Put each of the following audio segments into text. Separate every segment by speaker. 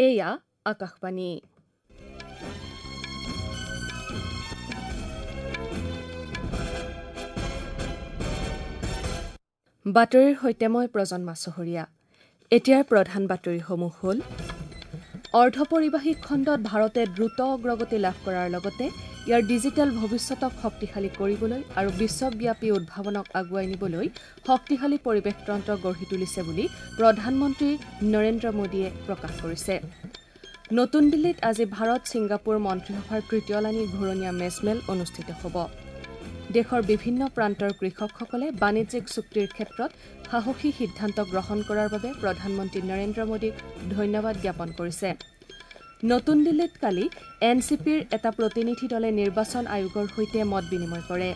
Speaker 1: এয়া আকাশবাণী। বাতৰিৰ সৈতে মই প্ৰজন্মা চহৰীয়া। এতিয়াৰ প্ৰধান বাতৰিসমূহ হ'ল: অৰ্ধপৰিবাহী খণ্ডত ভাৰতে দ্ৰুত অগ্ৰগতি লাভ কৰাৰ লগতে ইয়াৰ ডিজিটেল ভৱিষ্যতক শক্তিশালী কৰিবলৈ আৰু বিশ্বব্যাপী উদ্ভাৱনক আগুৱাই নিবলৈ শক্তিশালী পৰিৱেশতন্ত্ৰ গঢ়ি তুলিছে বুলি প্ৰধানমন্ত্ৰী নৰেন্দ্ৰ মোদীয়ে প্ৰকাশ কৰিছে। নতুন দিল্লীত আজি ভাৰত ছিংগাপুৰ মন্ত্ৰীসভাৰ তৃতীয়লানি ঘূৰণীয়া মেজমেল অনুষ্ঠিত হ'ব। দেশৰ বিভিন্ন প্ৰান্তৰ কৃষকসকলে বাণিজ্যিক চুক্তিৰ ক্ষেত্ৰত সাহসী সিদ্ধান্ত গ্ৰহণ কৰাৰ বাবে প্ৰধানমন্ত্ৰী নৰেন্দ্ৰ মোদীক ধন্যবাদ জ্ঞাপন কৰিছে। নতুন দিল্লীত কালি এন চি পিৰ এটা প্ৰতিনিধি দলে নিৰ্বাচন আয়োগৰ সৈতে মত বিনিময় কৰে।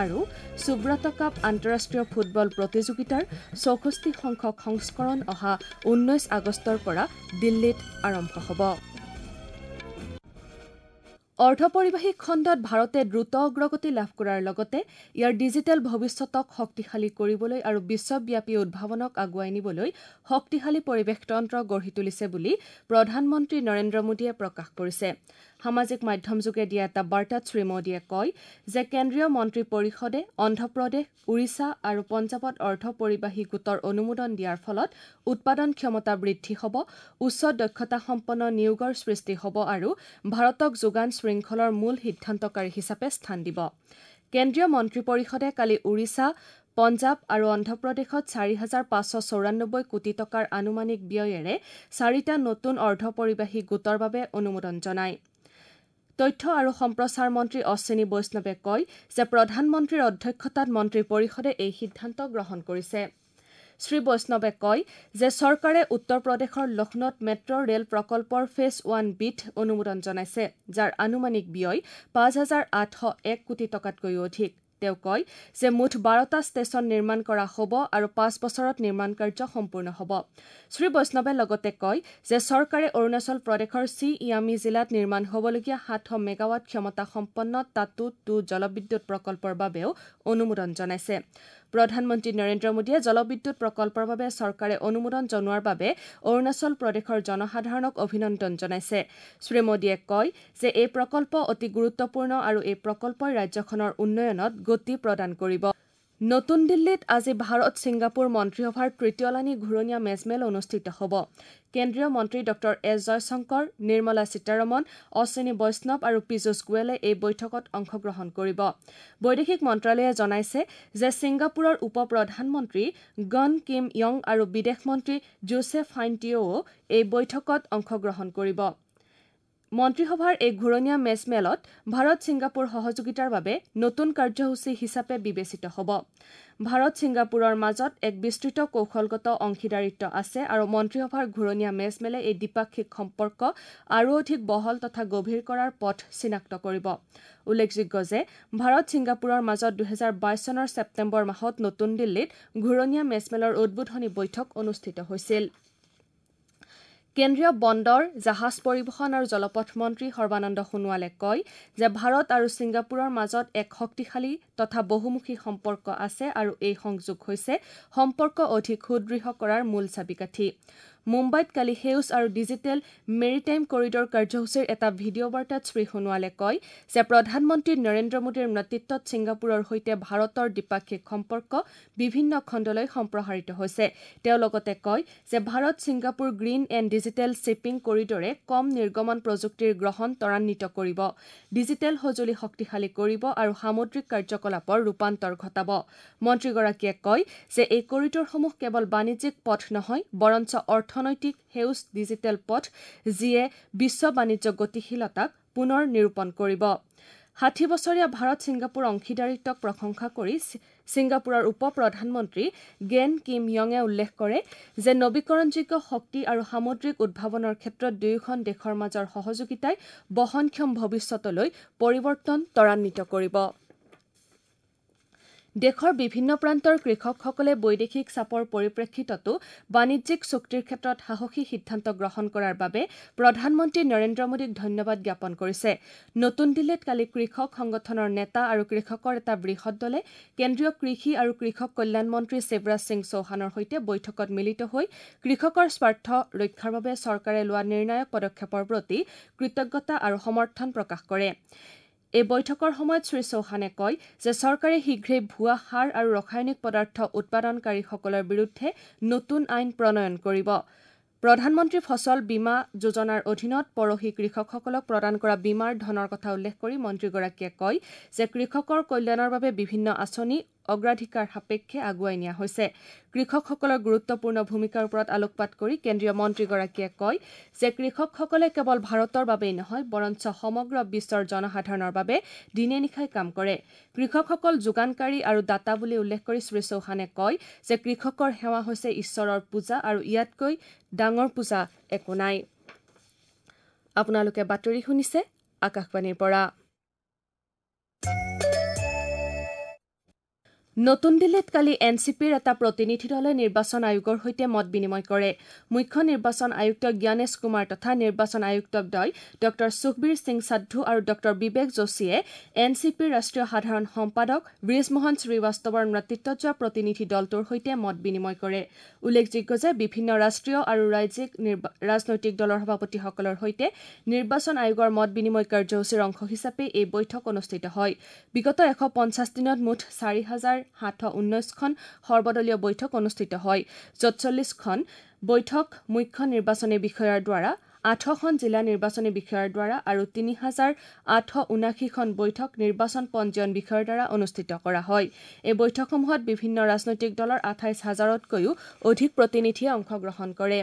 Speaker 1: আৰু সুব্ৰত কাপ আন্তঃৰাষ্ট্ৰীয় ফুটবল প্ৰতিযোগিতাৰ 64 সংখ্যক সংস্কৰণ অহা 19 আগষ্টৰ পৰা দিল্লীত আৰম্ভ হ'ব। অৰ্ধপৰিবাহী খণ্ডত ভাৰতে দ্ৰুত অগ্ৰগতি লাভ কৰাৰ লগতে ইয়াৰ ডিজিটেল ভৱিষ্যতক শক্তিশালী কৰিবলৈ আৰু বিশ্বব্যাপী উদ্ভাৱনক আগুৱাই নিবলৈ শক্তিশালী পৰিৱেশতন্ত্ৰ গঢ়ি তুলিছে বুলি প্ৰধানমন্ত্ৰী নৰেন্দ্ৰ মোদীয়ে প্ৰকাশ কৰিছে। সামাজিক মাধ্যমযোগে দিয়া এটা বাৰ্তাত শ্ৰী মোদীয়ে কয় যে কেন্দ্ৰীয় মন্ত্ৰী পৰিষদে অন্ধ্ৰপ্ৰদেশ, ওড়িশা আৰু পঞ্জাৱত অৰ্ধপৰিবাহী গোটৰ অনুমোদন দিয়াৰ ফলত উৎপাদন ক্ষমতা বৃদ্ধি হ'ব, উচ্চ দক্ষতাসম্পন্ন নিয়োগৰ সৃষ্টি হ'ব আৰু ভাৰতক যোগান শৃংখলৰ মূল সিদ্ধান্তকাৰী হিচাপে স্থান দিব। কেন্দ্ৰীয় মন্ত্ৰী পৰিষদে কালি ওড়িশা, পঞ্জাৱ আৰু অন্ধ্ৰপ্ৰদেশত 4,594 কোটি টকাৰ আনুমানিক ব্যয়েৰে 4টা নতুন অৰ্ধপৰিবাহী গোটৰ বাবে অনুমোদন জনায়। তথ্য আৰু সম্প্ৰচাৰ মন্ত্ৰী অশ্বিনী বৈষ্ণৱে কয় যে প্ৰধানমন্ত্ৰীৰ অধ্যক্ষতাত মন্ত্ৰী পৰিষদে এই সিদ্ধান্ত গ্ৰহণ কৰিছে। শ্ৰী বৈষ্ণৱে কয় যে চৰকাৰে উত্তৰ প্ৰদেশৰ লক্ষ্ণৌত মেট্ৰ' ৰেল প্ৰকল্পৰ ফেজ 1 বিত অনুমোদন জনাইছে, যাৰ আনুমানিক ব্যয় 5,801 কোটি টকাতকৈও অধিক। তেওঁ কয় যে মুঠ 12টা ষ্টেচন নিৰ্মাণ কৰা হ'ব আৰু 5 বছৰত নিৰ্মাণ কাৰ্য সম্পূৰ্ণ হ'ব। শ্ৰী বৈষ্ণৱে লগতে কয় যে চৰকাৰে অৰুণাচল প্ৰদেশৰ চি ইয়ামি জিলাত নিৰ্মাণ হ'বলগীয়া 700 মেগাৱাট ক্ষমতাসম্পন্ন টাটু 2 জলবিদ্যুৎ প্ৰকল্পৰ বাবেও অনুমোদন জনাইছে। প্ৰধানমন্ত্ৰী নৰেন্দ্ৰ মোদীয়ে জলবিদ্যুৎ প্ৰকল্পৰ বাবে চৰকাৰে অনুমোদন জনোৱাৰ বাবে অৰুণাচল প্ৰদেশৰ জনসাধাৰণক অভিনন্দন জনাইছে। শ্ৰী মোদীয়ে কয় যে এই প্ৰকল্প অতি গুৰুত্বপূৰ্ণ আৰু এই প্ৰকল্পই ৰাজ্যখনৰ উন্নয়নত গতি প্ৰদান কৰিব। নতুন দিল্লীত আজি ভাৰত ছিংগাপুৰ মন্ত্ৰীসভাৰ তৃতীয়লানি ঘূৰণীয়া মেজমেল অনুষ্ঠিত হ'ব। কেন্দ্ৰীয় মন্ত্ৰী ডঃ এছ জয়শংকৰ, নিৰ্মলা সীতাৰমণ, অশ্বিনী বৈষ্ণৱ আৰু পীযুষ গোৱেলে এই বৈঠকত অংশগ্ৰহণ কৰিব। বৈদেশিক মন্ত্ৰালয়ে জনাইছে যে ছিংগাপুৰৰ উপ প্ৰধানমন্ত্ৰী গন কিম য়ং আৰু বিদেশ মন্ত্ৰী জোচেফাইন টিঅ'ও এই বৈঠকত অংশগ্ৰহণ কৰিব। মন্ত্ৰীসভাৰ এই ঘূৰণীয়া মেজমেলত ভাৰত ছিংগাপুৰ সহযোগিতাৰ বাবে নতুন কাৰ্যসূচী হিচাপে বিবেচিত হ'ব। ভাৰত ছিংগাপুৰৰ মাজত এক বিস্তৃত কৌশলগত অংশীদাৰিত্ব আছে আৰু মন্ত্ৰীসভাৰ ঘূৰণীয়া মেজমেলে এই দ্বিপাক্ষিক সম্পৰ্ক আৰু অধিক বহল তথা গভীৰ কৰাৰ পথ চিনাক্ত কৰিব। উল্লেখযোগ্য যে ভাৰত ছিংগাপুৰৰ মাজত 2022 চনৰ ছেপ্টেম্বৰ মাহত নতুন দিল্লীত ঘূৰণীয়া মেজমেলৰ উদ্বোধনী বৈঠক অনুষ্ঠিত হৈছিল। কেন্দ্ৰীয় বন্দৰ, জাহাজ পৰিবহণ আৰু জলপথ মন্ত্ৰী সৰ্বানন্দ সোণোৱালে কয় যে ভাৰত আৰু ছিংগাপুৰৰ মাজত এক শক্তিশালী তথা বহুমুখী সম্পৰ্ক আছে আৰু এই সংযোগ হৈছে সম্পৰ্ক অধিক সুদৃঢ় কৰাৰ মূল চাবিকাঠি। মুম্বাইত কালি সেউজ আৰু ডিজিটেল মেৰিটাইম কৰিডৰ কাৰ্যসূচীৰ এটা ভিডিঅ' বাৰ্তাত শ্ৰী সোণোৱালে কয় যে প্ৰধানমন্ত্ৰী নৰেন্দ্ৰ মোদীৰ নেতৃত্বত ছিংগাপুৰৰ সৈতে ভাৰতৰ দ্বিপাক্ষিক সম্পৰ্ক বিভিন্ন খণ্ডলৈ সম্প্ৰসাৰিত হৈছে। তেওঁ লগতে কয় যে Bharat Singapore green and digital shipping কৰিডৰে কম নিৰ্গমন প্ৰযুক্তিৰ গ্ৰহণ ত্বৰান্বিত কৰিব, ডিজিটেল সঁজুলি শক্তিশালী কৰিব আৰু সামুদ্ৰিক কাৰ্যকলাপৰ ৰূপান্তৰ ঘটাব। মন্ত্ৰীগৰাকীয়ে কয় যে এই কৰিডৰসমূহ কেৱল বাণিজ্যিক পথ নহয়, বৰঞ্চ অৰ্থনৈতিক সেউজ ডিজিটেল পথ, যিয়ে বিশ্ব বাণিজ্য গতিশীলতাক পুনৰ নিৰূপণ কৰিব। 60 বছৰীয়া ভাৰত ছিংগাপুৰ অংশীদাৰিত্বক প্ৰশংসা কৰি ছিংগাপুৰৰ উপ প্ৰধানমন্ত্ৰী গেন কিম য়ঙে উল্লেখ কৰে যে নবীকৰণযোগ্য শক্তি আৰু সামুদ্ৰিক উদ্ভাৱনৰ ক্ষেত্ৰত দুয়োখন দেশৰ মাজৰ সহযোগিতাই বহনক্ষম ভৱিষ্যতলৈ পৰিৱৰ্তন ত্বৰান্বিত কৰিব। দেশৰ বিভিন্ন প্ৰান্তৰ কৃষকসকলে বৈদেশিক চাপৰ পৰিপ্ৰেক্ষিততো বাণিজ্যিক চুক্তিৰ ক্ষেত্ৰত সাহসী সিদ্ধান্ত গ্ৰহণ কৰাৰ বাবে প্ৰধানমন্ত্ৰী নৰেন্দ্ৰ মোদীক ধন্যবাদ জ্ঞাপন কৰিছে। নতুন দিল্লীত কালি কৃষক সংগঠনৰ নেতা আৰু কৃষকৰ এটা বৃহৎ দলে কেন্দ্ৰীয় কৃষি আৰু কৃষক কল্যাণ মন্ত্ৰী শিৱৰাজ সিং চৌহানৰ সৈতে বৈঠকত মিলিত হৈ কৃষকৰ স্বাৰ্থ ৰক্ষাৰ বাবে চৰকাৰে লোৱা নিৰ্ণায়ক পদক্ষেপৰ প্ৰতি কৃতজ্ঞতা আৰু সমৰ্থন প্ৰকাশ কৰে। এই বৈঠকৰ সময়ত শ্ৰী চৌহানে কয় যে চৰকাৰে শীঘ্ৰেই ভুৱা সাৰ আৰু ৰাসায়নিক পদাৰ্থ উৎপাদনকাৰীসকলৰ বিৰুদ্ধে নতুন আইন প্ৰণয়ন কৰিব। প্ৰধানমন্ত্ৰী ফচল বীমা যোজনাৰ অধীনত পৰহি কৃষকসকলক প্ৰদান কৰা বীমাৰ ধনৰ কথা উল্লেখ কৰি মন্ত্ৰীগৰাকীয়ে কয় যে কৃষকৰ কল্যাণৰ বাবে বিভিন্ন আঁচনি অগ্ৰাধিকাৰ সাপেক্ষে আগুৱাই নিয়া হৈছে। কৃষকসকলৰ গুৰুত্বপূৰ্ণ ভূমিকাৰ ওপৰত আলোকপাত কৰি কেন্দ্ৰীয় মন্ত্ৰীগৰাকীয়ে কয় যে কৃষকসকলে কেৱল ভাৰতৰ বাবেই নহয়, বৰঞ্চ সমগ্ৰ বিশ্বৰ জনসাধাৰণৰ বাবে দিনে নিশাই কাম কৰে। কৃষকসকল যোগানকাৰী আৰু দাতা বুলি উল্লেখ কৰি শ্ৰী চৌহানে কয় যে কৃষকৰ সেৱা হৈছে ঈশ্বৰৰ পূজা আৰু ইয়াতকৈ ডাঙৰ পূজা একো নাই। আপোনালোকে বাতৰি শুনিছে আকাশবাণীৰ পৰা। নতুন দিল্লীত কালি এন চি পিৰ এটা প্ৰতিনিধি দলে নিৰ্বাচন আয়োগৰ সৈতে মত বিনিময় কৰে। মুখ্য নিৰ্বাচন আয়ুক্ত জ্ঞানেশ কুমাৰ তথা নিৰ্বাচন আয়ুক্তদ্বয় ডঃ সুখবীৰ সিং সাদ্ধু আৰু ডঃ বিবেক যোশীয়ে এন চি পিৰ ৰাষ্ট্ৰীয় সাধাৰণ সম্পাদক ব্ৰিজমোহন শ্ৰীবাস্তৱৰ নেতৃত্বত যোৱা প্ৰতিনিধি দলটোৰ সৈতে মত বিনিময় কৰে। উল্লেখযোগ্য যে বিভিন্ন ৰাষ্ট্ৰীয় আৰু ৰাজ্যিক ৰাজনৈতিক দলৰ সভাপতিসকলৰ সৈতে নিৰ্বাচন আয়োগৰ মত বিনিময় কাৰ্যসূচীৰ অংশ হিচাপে এই বৈঠক অনুষ্ঠিত হয়। বিগত 150 দিনত মুঠ 4719খন সৰ্বদলীয় বৈঠক অনুষ্ঠিত হয়, য'ত 40খন বৈঠক মুখ্য নিৰ্বাচনী বিষয়াৰ দ্বাৰা, 8খন জিলা নিৰ্বাচনী বিষয়াৰ দ্বাৰা আৰু 3879খন বৈঠক নিৰ্বাচন পঞ্জীয়ন বিষয়াৰ দ্বাৰা অনুষ্ঠিত কৰা হয়। এই বৈঠকসমূহত বিভিন্ন ৰাজনৈতিক দলৰ 28,000তকৈও অধিক প্ৰতিনিধিয়ে অংশগ্ৰহণ কৰে।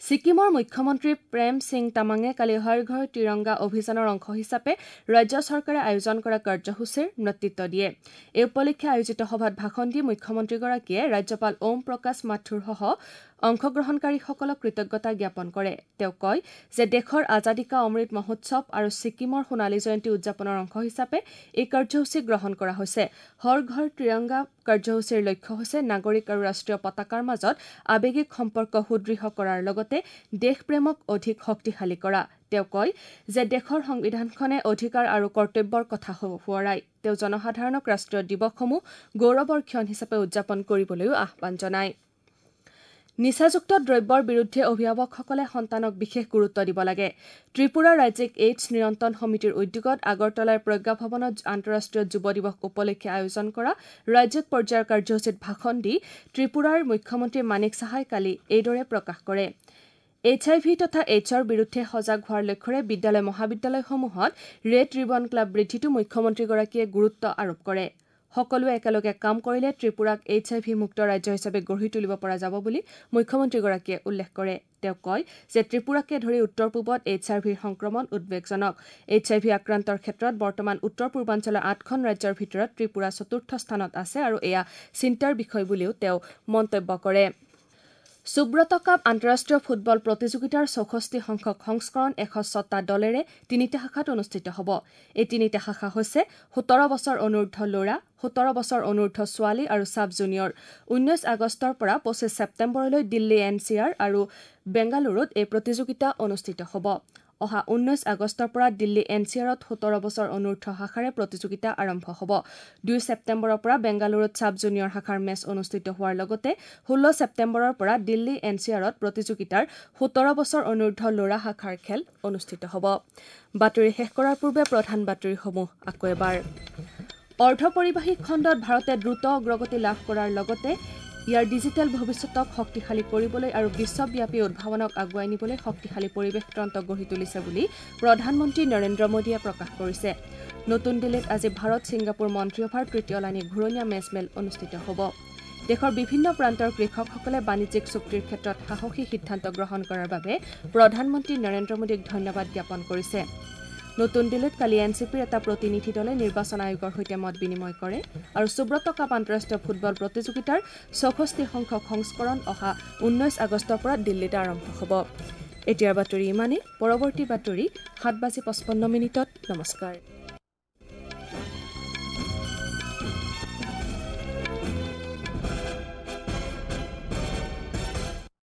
Speaker 1: ছিকিমৰ মুখ্যমন্ত্ৰী প্ৰেম সিং তামাঙে কালি হৰ ঘৰ তিৰংগা অভিযানৰ অংশ হিচাপে ৰাজ্য চৰকাৰে আয়োজন কৰা কাৰ্যসূচীৰ নেতৃত্ব দিয়ে। এই উপলক্ষে আয়োজিত সভাত ভাষণ দি মুখ্যমন্ত্ৰীগৰাকীয়ে ৰাজ্যপাল ওম প্ৰকাশ মাথুৰসহ অংশগ্ৰহণকাৰীসকলক কৃতজ্ঞতা জ্ঞাপন কৰে। তেওঁ কয় যে দেশৰ আজাদী কা অমৃত মহোৎসৱ আৰু ছিকিমৰ সোণালী জয়ন্তী উদযাপনৰ অংশ হিচাপে এই কাৰ্যসূচী গ্ৰহণ কৰা হৈছে। হৰ ঘৰ তিৰংগা কাৰ্যসূচীৰ লক্ষ্য হৈছে নাগৰিক আৰু ৰাষ্ট্ৰীয় পতাকাৰ মাজত আৱেগিক সম্পৰ্ক সুদৃঢ় কৰাৰ লগতে দেশপ্ৰেমক অধিক শক্তিশালী কৰা। তেওঁ কয় যে দেশৰ সংবিধানখনে অধিকাৰ আৰু কৰ্তব্যৰ কথা সোঁৱৰায়। তেওঁ জনসাধাৰণক ৰাষ্ট্ৰীয় দিৱসসমূহ গৌৰৱৰ ক্ষণ হিচাপে উদযাপন কৰিবলৈও আহ্বান জনায়। নিচাযুক্ত দ্ৰব্যৰ বিৰুদ্ধে অভিভাৱকসকলে সন্তানক বিশেষ গুৰুত্ব দিব লাগে। ত্ৰিপুৰা ৰাজ্যিক এইডছ নিয়ন্ত্ৰণ সমিতিৰ উদ্যোগত আগৰতলাৰ প্ৰজ্ঞা ভৱনত আন্তঃৰাষ্ট্ৰীয় যুৱ দিৱস উপলক্ষে আয়োজন কৰা ৰাজ্যিক পৰ্যায়ৰ কাৰ্যসূচীত ভাষণ দি ত্ৰিপুৰাৰ মুখ্যমন্ত্ৰী মানিক সাহাই কালি এইদৰে প্ৰকাশ কৰে। এইচ আই ভি তথা এইডছৰ বিৰুদ্ধে সজাগ হোৱাৰ লক্ষ্যৰে বিদ্যালয় মহাবিদ্যালয়সমূহত ৰেড ৰিবন ক্লাব বৃদ্ধিতো মুখ্যমন্ত্ৰীগৰাকীয়ে গুৰুত্ব আৰোপ কৰে। সকলোৱে একেলগে কাম কৰিলে ত্ৰিপুৰাক এইচ আই ভি মুক্ত ৰাজ্য হিচাপে গঢ়ি তুলিব পৰা যাব বুলি মুখ্যমন্ত্ৰীগৰাকীয়ে উল্লেখ কৰে। তেওঁ কয় যে ত্ৰিপুৰাকে ধৰি উত্তৰ পূবত এইচ আই ভিৰ সংক্ৰমণ উদ্বেগজনক। এইচ আই ভি আক্ৰান্তৰ ক্ষেত্ৰত বৰ্তমান উত্তৰ পূৰ্বাঞ্চলৰ 8খন ৰাজ্যৰ ভিতৰত ত্ৰিপুৰা চতুৰ্থ স্থানত আছে আৰু এয়া চিন্তাৰ বিষয় বুলিও তেওঁ মন্তব্য কৰে। সুব্ৰত কাপ আন্তঃৰাষ্ট্ৰীয় ফুটবল প্ৰতিযোগিতাৰ 64 সংখ্যক সংস্কৰণ 106টা দলেৰে 3টা শাখাত অনুষ্ঠিত হ'ব। এই 3টা শাখা হৈছে 17 বছৰ অনুৰ্ধ ল'ৰা, 17 বছৰ অনুৰ্ধ ছোৱালী আৰু ছাব জুনিয়ৰ। 19 আগষ্টৰ পৰা 25 ছেপ্টেম্বৰলৈ দিল্লী এন চি আৰ আৰু বেংগালুৰুত এই প্ৰতিযোগিতা অনুষ্ঠিত হ'ব। অহা 19 আগষ্টৰ পৰা দিল্লী এন চি আৰত 17 বছৰ অনুৰ্ধ শাখাৰে প্ৰতিযোগিতা আৰম্ভ হ'ব। 2 ছেপ্টেম্বৰৰ পৰা বেংগালুৰুত ছাব জুনিয়ৰ শাখাৰ মেচ অনুষ্ঠিত হোৱাৰ লগতে 16 ছেপ্টেম্বৰৰ পৰা দিল্লী এন চি আৰত প্ৰতিযোগিতাৰ 17 বছৰ অনুৰ্ধ ল'ৰা শাখাৰ খেল অনুষ্ঠিত হ'ব। বাতৰি শেষ কৰাৰ পূৰ্বে প্ৰধান বাতৰিসমূহ আকৌ এবাৰ। অৰ্ধপৰিবাহী খণ্ডত ভাৰতে দ্ৰুত অগ্ৰগতি লাভ কৰাৰ লগতে ইয়াৰ ডিজিটেল ভৱিষ্যতক শক্তিশালী কৰিবলৈ আৰু বিশ্বব্যাপী উদ্ভাৱনক আগুৱাই নিবলৈ শক্তিশালী পৰিৱেশ তন্ত্ৰ গঢ়ি তুলিছে বুলি প্ৰধানমন্ত্ৰী নৰেন্দ্ৰ মোদীয়ে প্ৰকাশ কৰিছে। নতুন দিল্লীত আজি ভাৰত ছিংগাপুৰ মন্ত্ৰীসভাৰ তৃতীয়লানি ঘূৰণীয়া মেজমেল অনুষ্ঠিত হ'ব। দেশৰ বিভিন্ন প্ৰান্তৰ কৃষকসকলে বাণিজ্যিক চুক্তিৰ ক্ষেত্ৰত সাহসী সিদ্ধান্ত গ্ৰহণ কৰাৰ বাবে প্ৰধানমন্ত্ৰী নৰেন্দ্ৰ মোদীক ধন্যবাদ জ্ঞাপন কৰিছে। নতুন দিল্লীত কালি এন চি পিৰ এটা প্ৰতিনিধি দলে নিৰ্বাচন আয়োগৰ সৈতে মত বিনিময় কৰে আৰু সুব্ৰত কাপ আন্তঃৰাষ্ট্ৰীয় ফুটবল প্ৰতিযোগিতাৰ 64 সংখ্যক সংস্কৰণ অহা 19 আগষ্টৰ পৰা দিল্লীত আৰম্ভ হ'ব। এতিয়াৰ বাতৰি ইমানেই। পৰৱৰ্তী বাতৰি 7:55। নমস্কাৰ।